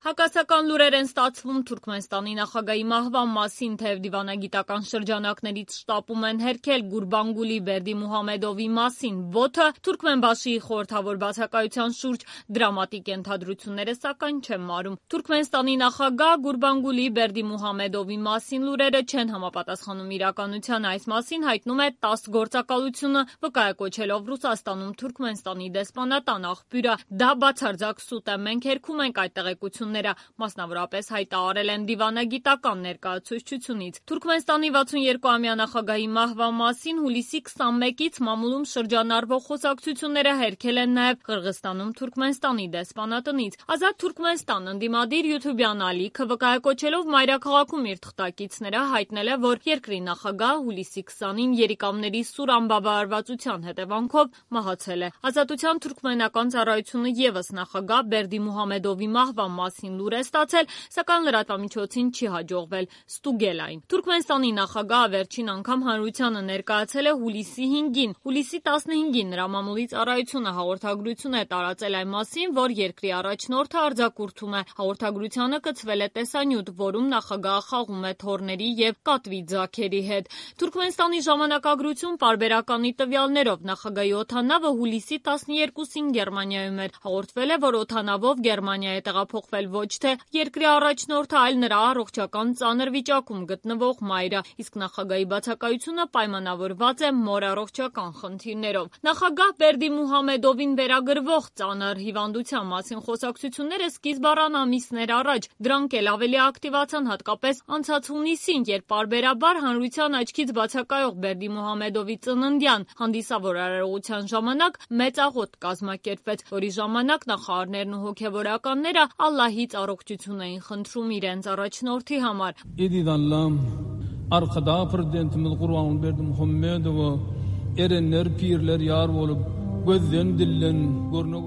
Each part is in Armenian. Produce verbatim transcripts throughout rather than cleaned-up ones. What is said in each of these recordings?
Հակասական լուրեր են ստացվում Թուրքմենստանի նախագահի մահվան մասին, թեև դիվանագիտական շրջանակներից շտապում են հերքել Գուրբանգուլի Բերդիմուհամեդովի մասին ոտը, Թուրքմենբաշիի խորհրդավոր բացակայության շուրջ դրամատիկ ենթադրությունները սակայն չեն մարում։ Թուրքմենստանի նախագահ Գուրբանգուլի Բերդիմուհամեդովի մասին լուրերը չեն համապատասխանում իրականությանը, այս մասին հայտնում է տաս գործակալությունը, վկայակոչելով Ռուսաստանում Թուրքմենստանի դեսպանատան աղբյուրը։ Դա բացարձակ սուտ է, մենք հերքում ենք այդ տեղեկությունները, մասնավորապես հայտարարել են դիվանագիտական ներկայացուցչությունից։ Թուրքմենստանի վաթսունյոթ-ամյա նախագահի մահվան մասին հուլիսի քսանմեկից մամուլում շրջանառվող խոսակցությունները հերքել են նաև Қырғызստանում Թուրքմենստանի դեսպանատնից։ Ազատ Թուրքմենստան ընդդիմադիր յութուբյան ալիքը վկայակոչելով մայրաքաղաքում իր թղթակիցները հայտնել է, որ երկրի նախագահը հուլիսի քսանին երիկամների սուր անբավարարվածության հետևանքով մահացել է։ Ազատության թուրքմենական ծառայությունը ևս նախագահ Բերդիմուհամեդովի մահվան մասին լուր է ստացել, սակայն լրատվամիջոցին չի հաջողվել ստուգել այն։ Թուրքմենստանի նախագահը վերջին անգամ հանրությանը ներկայացել է հուլիսի հինգին։ Հուլիսի տասնհինգին նրա մամուլի ծառայությունը հաղորդագրություն է տարածել այն մասին, որ երկրի առաջնորդը արձակուրդում է։ Հաղորդագրությանը կցվել է տեսանյութ, որում նախագահը խաղում է թոռների եւ կատվի ձագերի հետ։ Թուրքմենստանի ժամանակագրություն պարբերականի տվյալներով նախագահի օդանավը հուլիսի տասներկուսին Գերմանիայում էր։ Հաղորդվել է, որ օդանավով Գերմանիա է տեղափոխվել ոչ թե երկրի առաջնորդը, այլ նրա առողջական ծանր վիճակում գտնվող մայրը, իսկ նախագահի բացակայությունը պայմանավորված է մոր առողջական խնդիրներով։ Նախագահ Բերդիմուհամեդովին վերագրվող ծանր հիվանդության մասին խոսակցությունները սկիզբ առան ամիսներ առաջ, դրանք էլ ավելի ակտիվացան հատկապես անցած հունիսին, երբ պարբերաբար հանրության աչքից բացակայող Բերդիմուհամեդովի ծննդյան հանդիսավոր արարողության ժամանակ մեծ աղոթ կազմակերպվեց, որի ժամանակ նախարարներն ու հոգևորականները Ալլահից առողջություն էին խնդրում իրենց առաջնորդի համար։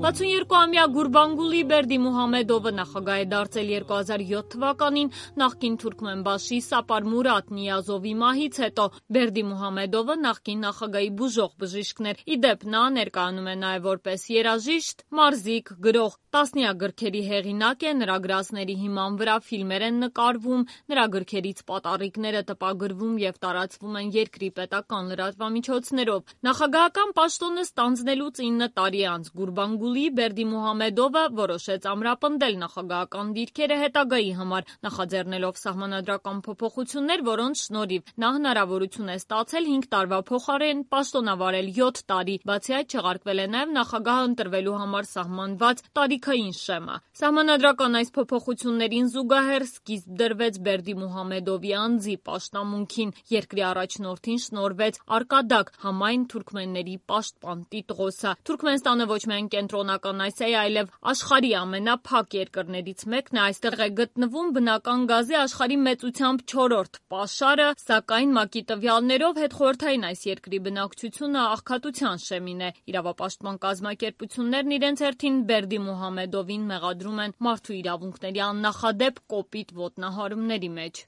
վաթսունյոթ-ամյա Գուրբանգուլի Բերդիմուհամեդովը նախագահ է դարձել երկու հազար յոթ թվականին նախկին Թուրքմենբաշի Սապար Մուրադ Նիազովի մահից հետո։ Բերդիմուհամեդովը նախկին նախագահի բուժող բժիշկն էր։ Ի դեպ, նա ներկայանում է նաև որպես երաժիշտ, մարզիկ, գրող, տասնյակ գրքերի հեղինակ է, նրա գրածների հիման վրա ֆիլմեր են նկարվում, նրա գրքերից պատառիկները տպագրվում եւ տարածվում են երկրի պետական լրատվամիջոցներով։ Նախագահական պաշտոնը ստանձնելուց ինը տարի անց Գուրբանգուլի Բերդիմուհամեդովը որոշեց ամրապնդել նախագահական դիրքերը հետագայի համար, նախաձեռնելով սահմանադրական փոփոխություններ, որոնց շնորհիվ նա հնարավորություն է ստացել հինգ տարվա փոխարեն պաշտոնավարել յոթ տարի։ Բացի այդ, չեղարկվել է նաև նախագահը ընտրվելու համար սահմանված տարիքային շեմը։ Սահմանադրական այս փոփոխություններին զուգահեռ սկիզբ դրվեց Բերդիմուհամեդովի անձի պաշտամունքին։ Երկրի առաջնորդին շնորհվեց արկադակ համայն թուրքմենների պաշտպան տիտղոսը։ Թուրքմենստանը ոչ միայն կենտրոնական Ասիայի, այլև աշխարհի ամենափակ երկրներից մեկն է։ Այստեղ է գտնվում բնական գազի աշխարհի մեծությամբ չորրորդ պաշարը, սակայն ՄԱԿ-ի տվյալներով հետխորհրդային այս երկրի բնակչությունը աղքատության շեմին է։ Իրավապաշտպան կազմակերպություններն իրենց հերթին Բերդիմուհամեդովին մեղադրում են մարդու իրավունքների աննախադեպ կոպիտ ոտնահարումների մեջ։